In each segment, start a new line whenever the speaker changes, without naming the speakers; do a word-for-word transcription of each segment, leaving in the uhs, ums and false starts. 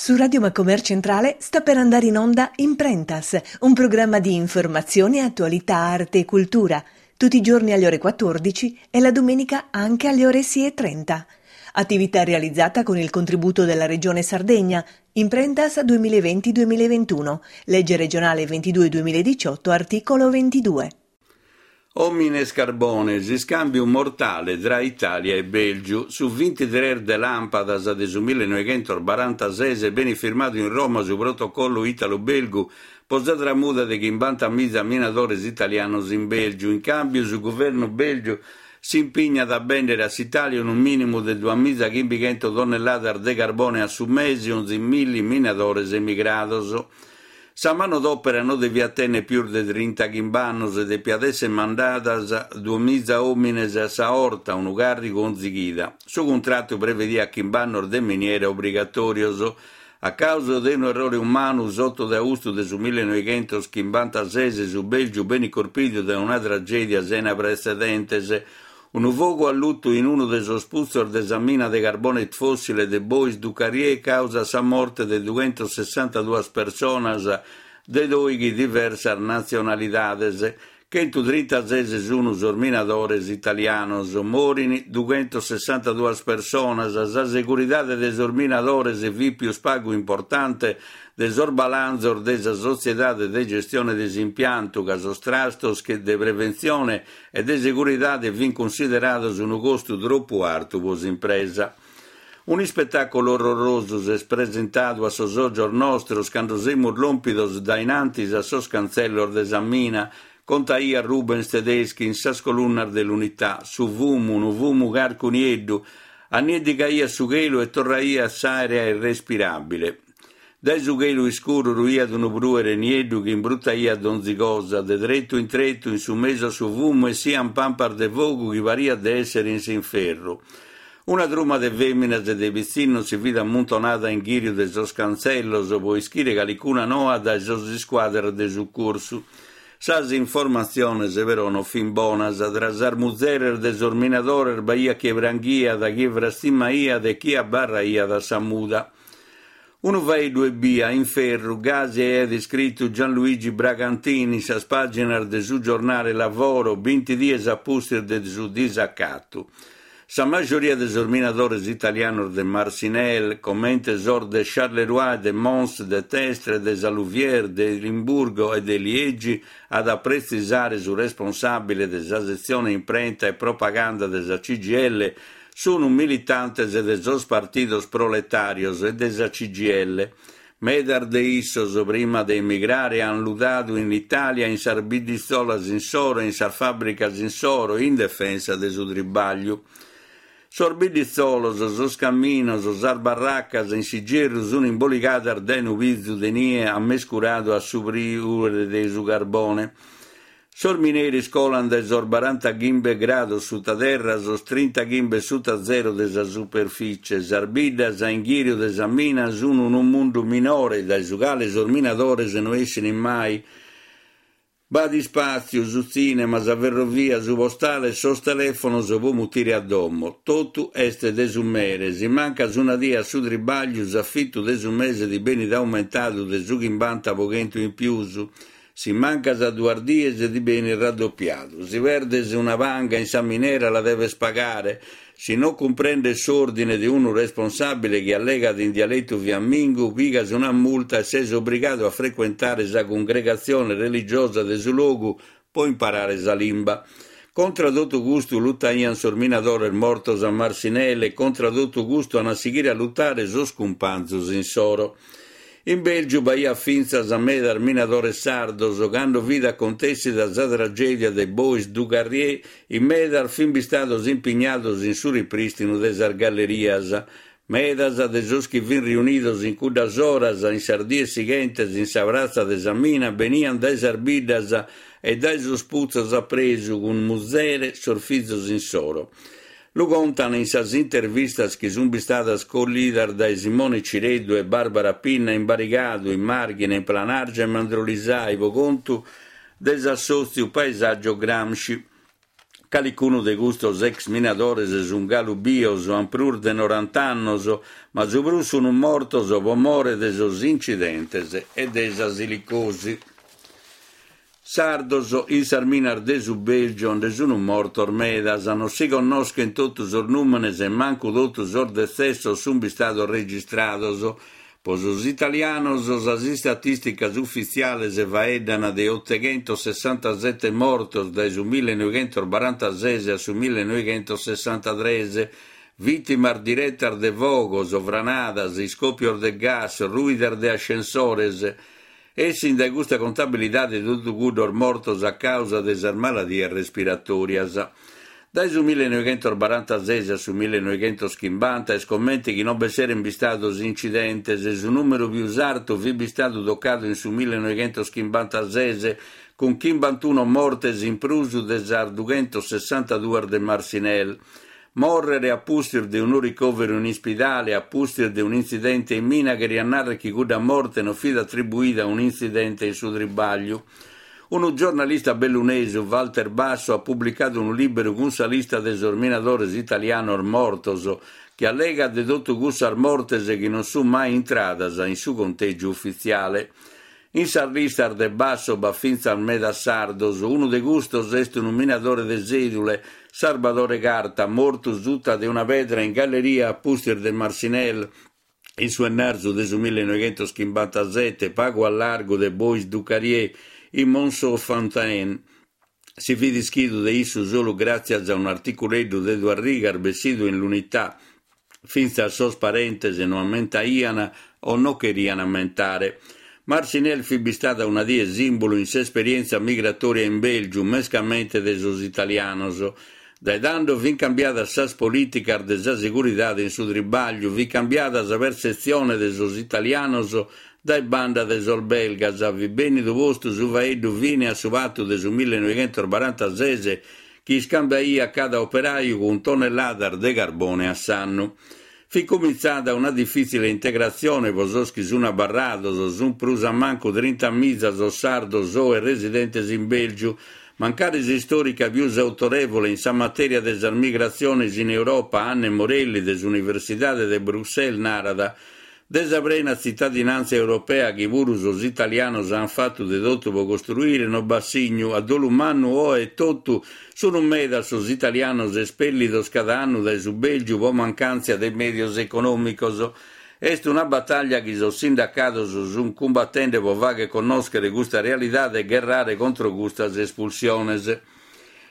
Su Radio Macomer Centrale sta per andare in onda Imprentas, un programma di informazione, attualità, arte e cultura, tutti i giorni alle ore quattordici e la domenica anche alle ore sei e trenta. Attività realizzata con il contributo della Regione Sardegna, Imprentas duemilaventi duemilaventuno, legge regionale ventidue duemiladiciotto, articolo ventidue.
Omines carbones, iscambiu mortale tra Italia e Belgiu. Su ventitré de lampadas de su millenoichentos barantasese benit firmadu in Roma su protocollo italo-belgu po sa tramuda de chimbantamiza minadores italianos in Belgiu. In cambiu su governu belgiu si impignat a bendere a s'Italia unu minimu de duamiza chimbichento tonnelladas de carbone a su mese onzi milli minadores emigrados. Sa manodopera no deviat tenere pius de trintaghimbe annos e depiat essere mandadas duamiza omines a sa orta, unu carrigu onzi chida. Su contrattu prevediat chimbe annos de miniera obrigatorios. A causa de un errore umanu, s'otto de austu de su millenoichentos chimbantasese, su Belgiu benit corpidu dae una tragedia sena precedentes. Unu fogu alluttu in unu de sos putzos de sa mina de carbone fossile de Bois du Carrier causa sa morte de dughentosessantaduas personas de doighi diversas natzionalidades. Chentutrintases sunu sos minadores italianos. Morini dughentosessantaduas personas. Sa seguridade de sos minadores fit pius pagu importante de sos balanzos de sa sotziedade de gestione de s'impiantu, ca sos trastos che de preventzione e de seguridade fin considerados unu costu troppu artu po s'impresa. Un ispettaculu orrorosu s'est presentadu a sos ojos nostros cando semus lompidos dae in antis a sos canzellos de sa mina, contaia Rubens Tedeschi in sas colunnas de l'Unità. Su fumu, unu fumu carcu nieddu, annieddigaiat su chelu e torraiat s'aera irrespirabile. Dae su chelu iscuru ruiat unu pruere nieddu chi imbruttaiat donzi cosa. De tretu in tretu, in su mesu a su fumu, essian pampas de fogu chi pariat de essere in s'inferru. Una truma de feminas e de pitzinnos si fit ammuntonada in ghiriu de sos canzellos po ischire calicuna noa dae sos isquadras de succursu. Sas informatziones però no fin bonas. Tra sas muzeres de sos minadores b'aiat chie pranghiat, chie frastimaiat e chie abbarraiat a sa muda. Unu faeddu ebbia, inferru, gasi aiat iscrittu Gianluigi Bragantini in sas paginas de su giornale Lavoro, binti dies a pustis de su disacatu. Sa majoria de sos minadores italianos de Marcinelle, comente sos de Charleroi, de Mons, de Testre, de sa Louvière, de Limburgo e de Liegi, at a pretzisare su responsabile de sa setzione imprenta e propaganda de sa C G I L, sunu militantes de sos partidos proletarios e de sa C G I L. Medas de issos, prima de emigrare, han lutadu in Italia in sas bidditzolas insoro e in sas fabbricas insoro in defensa de su tribagliu. Sos bidditzolos, sos caminos, sas barraccas in s'igerru sun imboligadas dae unu pizu de nie ammescuradu a su priure de su carbone. Sos mineris colan dae sos barantachimbe grados sutaterra a sos trintachimbe suta zero de sa superficie. Sas biddas a inghiriu de sa mina sun unu mundu minore dae su cale sos minadores no essin mai. B'at ispatziu, su tzinema, sa ferrovia, su postale e sos telefonos po mutire a domo. Totu est de su mere. Si mancas una die a su tribagliu, s'affittu de su mese ti benit aumentadu de su chimbanta po chentu in pius. Si mancas duas dies ti benit raddoppiadu. Si perdes una panga in sa minera la deves pagare. Si non cumprendes s'ordine de unu responsabile chi allegat in dialettu fiammingu, pigas una multa e ses obbligadu a frequentare sa cungregazione religiosa de su logu po imparare sa limba. Contra totu custu luttaian sos minadores mortos a Marcinelle e contra totu custu an a sighire a luttare sos cumpanzos insoro. In Belgiu b'aiat fintzas medas minadores sardos. Cando fit acontessida sa tragedia de Bois du Carrier, in medas fin bistados impignados in su ripristinu de sas gallerias. Medas de sos chi fin riunidos in cuddas oras, in sas dies sighentes in sa pratza de sa mina, benian dae sas biddas e dae sos putzos apresu cun muzere sos fizos insoro. Lu contan in sas intervistas chi sun bistadas collidas dae Simone Cireddu e Barbara Pinna in Barigadu, in Marghine, in Planargia e Mandrolisai po contu de s'assòtziu Paesaggio Gramsci. Calicunu de custos ex minadores sun galu bios, an prus de noranta annos, ma su prus sun mortos pro more de sos incidentes e de sa silicosi. Sardos in sas minas de su Belgio nde sun mortos medas, non si connoschen totu sos nùmenes e mancu totu sos detzessos sun bistados registrados. Pro sos italianos sas istatìsticas ufitziales faeddan de oteghentosessantasete mortos dae su millenoighentosbarantases a su millenoighentosessantatres, vìtimas diretas de fogos, franadas, iscòpios de gas, rùidas de ascensores. Essin dae custa contabilidade totu cuddos mortos a càusa de sas maladias respiratòrias. Dae su millenoighentosbarantases a su millenoighentoschimbanta est comente chi non b'esseren bistados incidentes, su nùmeru pius artu fit bistadu tocadu in su millenoighentoschimbanta-ses cun chimbantuno mortes in prus de sas dughentosessantaduas de Marcinelle. Mòrrere a pustis de unu ricòveru in ispidale, a pustis de un'intzidente in mina, cheriat nàrrere chi cudda morte non fit atribuida a un'intzidente in su tribagliu. Unu giornalista bellunesu, Walter Basso, at publicadu unu lìberu cun sa lista de sos minadores italianos mortos, chi allegat de totu cussas mortes chi non sunt mai intradas in su contègiu ufitziale. In sas listas de Basso b'at fintzas medas sardos. Unu de custos est unu minadore de Sèdule, Sarbadore Carta, mortu suta de una pedra in galleria a pustis de Marcinelle, in su 'ennarzu de su millenoighentoschimbanta-sete, pagu a largu de Bois du Carrier, in Monceau-Fontaine. Si fit ischidu de issu solu gràtzias a un'articuleddu de duas rigas bessidu in l'Unità. Fintzas sos parentes no ammentaian o non cherian ammentare. Marcinelle fit bistada una die sìmbulu in s'esperièntzia migratòria in Bèlgiu, mescamente de sos italianos. Dae tando fin cambiadas sas polìticas de sa seguridade in su tribagliu, fit cambiada sa pertzetzione de sos italianos dae banda de sos belgas, fit bènnidu postu su faeddu fine a su patu de su millenoighentosbarantases chi iscambiaiat cada operaju cun tonnelladas de carbone a s'annu. Fit comintzada una difìtzile integratzione pro sos chi sun abarrados, sun prus a mancu trinta miza sos sardos oe residentes in Bèlgiu, mancari s'istòrica pius autorèvole in sa matèria de sas migratziones in Europa, Anne Morelli de s'Universidade de Bruxelles, narat de sa prena tzitadinàntzia europea chi puru sos italianos ant fatu de totu pro costruire no b'at signu, a dolu mannu oe e totu sun medas sos italianos espèllidos cada annu dae su Bèlgiu pro mancàntzia de mèdios econòmicos. Est una batalla chi sos sindacados sunt cumbatende pro fàghere connòschere custa realidade e gherrare contro custas espulsiones.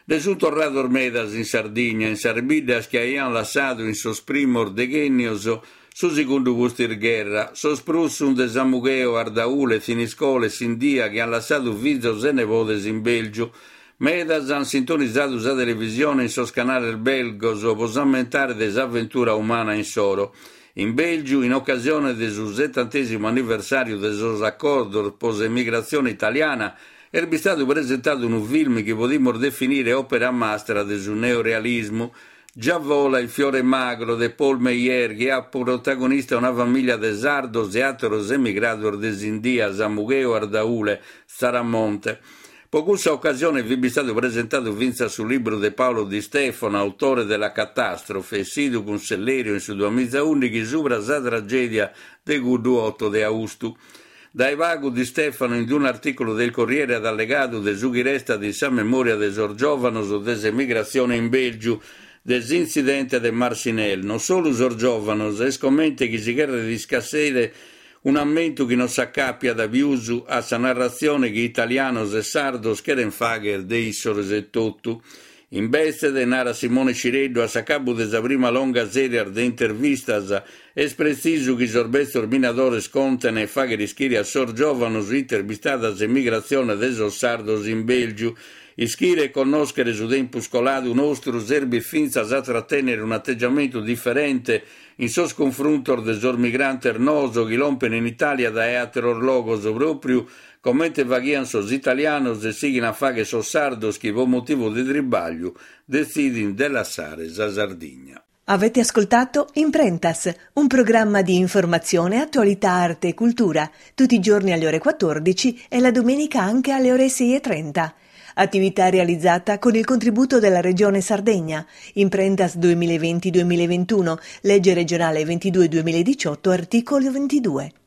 Nde sunt torrados medas in Sardigna, in sas biddas chi aiant lassadu in sos primos deghènnios su segundu pustis-gherra. Sos prus sunt de Samugheo, Ardaule, Thiniscole, Sindia, chi ant lassadu fizos e nebodes in Bèlgiu. Medas ant sintonizadu sa televisione in sos canales belgos pro s'ammentare de s'avventura umana insoro. In Bèlgiu, in ocasione de su setantèsimu anniversàriu de sos acordos pro s'emigratzione italiana, est bistadu presentadu unu film chi podimus definire òpera mastra de su neorealismu. Già vola il fiore magro de Paul Meyer, chi at protagonista una famìlia de sardos e àteros emigrados de Sindia, Samugheo, Ardaule, Tzaramonte. Pro cussa ocasione fit bistadu presentadu fintzas su libru de Paolo Di Stefano, autore de La catastrofe, essidu cun Sellerio in su duamiza ùndighi subra sa tragèdia de cuddu oto de austu. Dae pagu Di Stefano in un'artìculu del Corriere at allegadu de su chi restat in sa memòria de sos giòvanos de s'emigratzione in Bèlgiu, de s'intzidente de Marcinelle. Non solu sos giòvanos, est comente chi si cherret iscassere un'ammentu chi non s'acàpiat pius a sa narratzione chi italianos e sardos cherent fàghere de issos e totu. Imbetze, narat Simone Cireddu, a s'acabu de sa prima longa sèrie de intervistas, est pretzisu chi sos betzos minadores conten e fàghere ischire a sos giòvanos ite est bistada s'emigratzione de sos sardos in Bèlgiu. Ischire e connòschere su tempus coladu nostru serbit fintzas a tratènnere un'ateggiamentu diferente in sos cunfruntos de sos migrantes noos chi lompen in Itàlia dae àteros logos, pròpriu comente faghian sos italianos e sighin a fàghere sos sardos chi pro motivu de tribagliu detzidin de lassare sa Sardigna.
Avete ascoltato Imprentas, un programma di informazione, attualità, arte e cultura, tutti i giorni alle ore quattordici e la domenica anche alle ore sei e trenta. Attività realizzata con il contributo della Regione Sardegna. Imprentas duemilaventi-duemilaventuno, legge regionale ventidue duemiladiciotto, articolo ventidue.